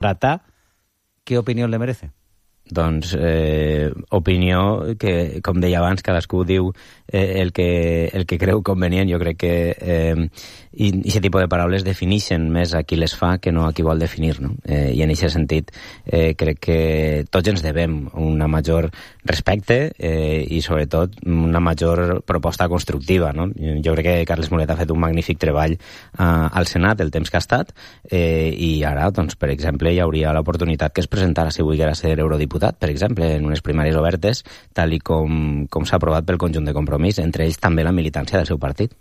Pratà, ¿qué opinión le merece? Doncs opinió que, com deia abans, cadascú diu el que creu convenient. Jo crec que aquest tipus de paraules defineixen més a qui les fa que no a qui vol definir, no? I en aquest sentit crec que tots ens devem una major respecte i sobretot una major proposta constructiva, no? Jo crec que Carles Molet ha fet un magnífic treball al Senat el temps que ha estat i ara, doncs, per exemple, hi hauria l'oportunitat que es presentara si volguera ser eurodiputat, per exemple, en unes primàries obertes, tal i com s'ha aprovat pel conjunt de Compromís, entre ells també la militància del seu partit.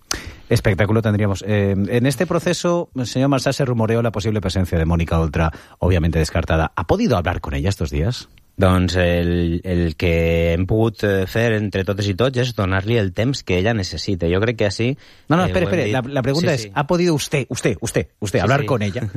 Espectáculo tendríamos. En este proceso, señor Marsá, se rumoreó la posible presencia de Mónica Oltra, obviamente descartada. ¿Ha podido hablar con ella estos días? Doncs el que hem pogut fer entre totes i tots és donar-li el temps que ella necessita. Jo crec que així... No, espere. La pregunta es, ¿ha podido usted hablar con ella?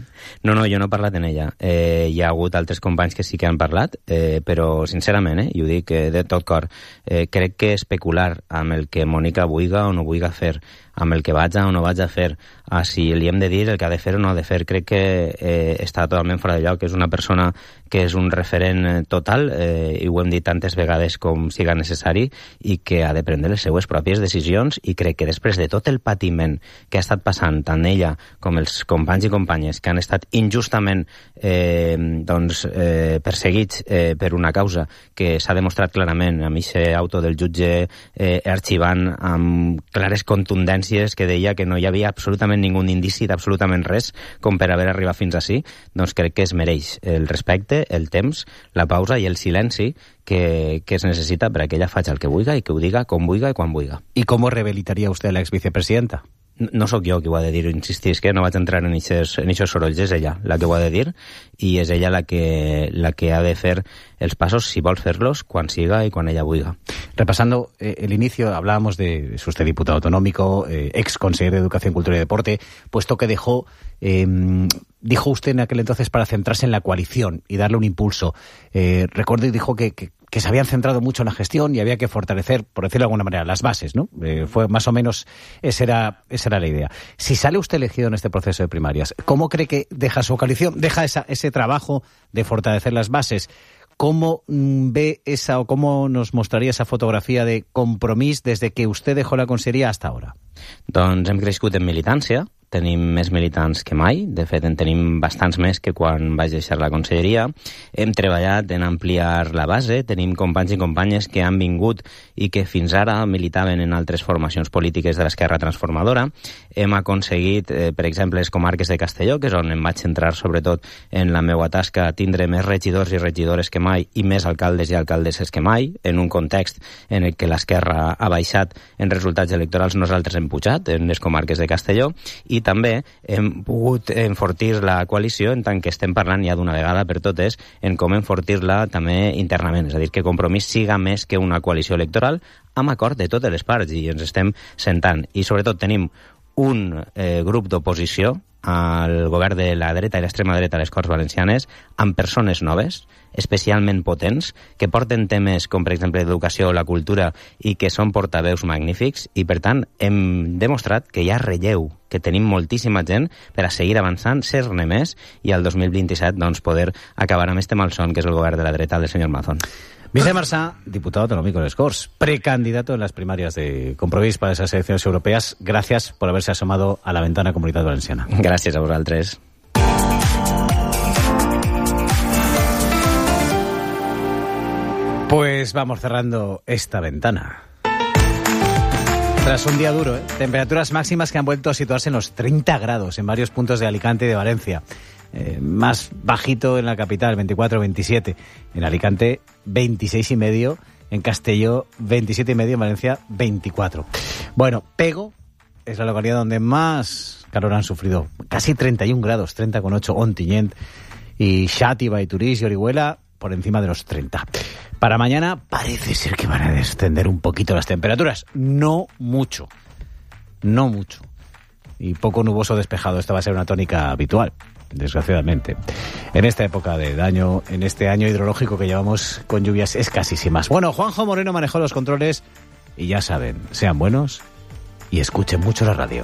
No, jo no he parlat amb ella. Hi ha hagut altres companys que sí que han parlat, però sincerament, i ho dic de tot cor, crec que especular amb el que Mònica vulga o no vulga fer, amb el que vaig o no vaig a fer, si li hem de dir el que ha de fer o no ha de fer, crec que està totalment fora de lloc. És una persona que és un referent total, i ho hem dit tantes vegades com siga necessari, i que ha de prendre les seues pròpies decisions, i crec que després de tot el patiment que ha estat passant tant ella com els companys i companyes que han estat injustament perseguits per una causa que s'ha demostrat clarament amb aquest auto del jutge arxivant amb clares contundències que deia que no hi havia absolutament ningú indici d'absolutament res com per haver arribat fins ací, doncs crec que es mereix el respecte, el temps, la pausa i el silenci que es necessita per a que ella faci el que vulga i que ho diga com vulga i quan vulga. ¿Y cómo rehabilitaría usted a la exvicepresidenta? No sóc jo qui ho ha de dir, insistís que no vaig entrar en aquests sorolls, és ella la que ho ha de dir i és ella la que ha de fer els passos, si vol fer-los, quan siga y quan ella vulga. Repasando el inicio, hablábamos de, es usted diputado autonómico, ex consejero de Educación, Cultura y Deporte, puesto que dijo usted en aquel entonces para centrarse en la coalición y darle un impulso. Recuerdo y dijo que se habían centrado mucho en la gestión y había que fortalecer, por decirlo de alguna manera, las bases, ¿no? Fue más o menos, esa era la idea. Si sale usted elegido en este proceso de primarias, ¿cómo cree que deja su coalición, deja ese trabajo de fortalecer las bases? ¿Cómo ve esa o cómo nos mostraría esa fotografía de Compromís desde que usted dejó la conselleria hasta ahora? Doncs hem crescut en militància, tenim més militants que mai, de fet en tenim bastants més que quan vaig deixar la conselleria, hem treballat en ampliar la base, tenim companys i companyes que han vingut i que fins ara militaven en altres formacions polítiques de l'Esquerra Transformadora, hem aconseguit, per exemple, les comarques de Castelló, que és on em vaig centrar sobretot en la meva tasca, tindre més regidors i regidores que mai i més alcaldes i alcaldesses que mai, en un context en el que l'Esquerra ha baixat en resultats electorals, nosaltres hem pujat en les comarques de Castelló, i també hem pogut enfortir la coalició en tant que estem parlant ja d'una vegada per totes en com enfortir-la també internament, és a dir, que Compromís siga més que una coalició electoral amb acord de totes les parts i ens estem sentant. I sobretot tenim un grup d'oposició al govern de la dreta i l'extrema dreta a les Corts Valencianes amb persones noves, especialment potents, que porten temes com, per exemple, l'educació o la cultura i que són portaveus magnífics i, per tant, hem demostrat que hi ha relleu, que tenim moltíssima gent per a seguir avançant, ser-ne més i al 2027 doncs, poder acabar amb este malson que és el govern de la dreta del senyor Mazón. Vicente Marsá, diputado autonómico de les Corts, precandidato en las primarias de Compromís para esas elecciones europeas. Gracias por haberse asomado a la ventana Comunitat Valenciana. Gràcies a vosaltres. Pues vamos cerrando esta ventana. Tras un día duro, temperaturas máximas que han vuelto a situarse en los 30 grados en varios puntos de Alicante y de Valencia. Más bajito en la capital, 24-27. En Alicante, 26,5. En Castelló, 27,5. En Valencia, 24. Bueno, Pego es la localidad donde más calor han sufrido. Casi 31 grados, 30,8 Ontinyent. Y Xàtiva y Turís y Orihuela por encima de los 30. Para mañana parece ser que van a descender un poquito las temperaturas. No mucho. Y poco nuboso despejado. Esta va a ser una tónica habitual, desgraciadamente. En esta época de año, en este año hidrológico que llevamos con lluvias escasísimas. Bueno, Juanjo Moreno manejó los controles y ya saben, sean buenos y escuchen mucho la radio.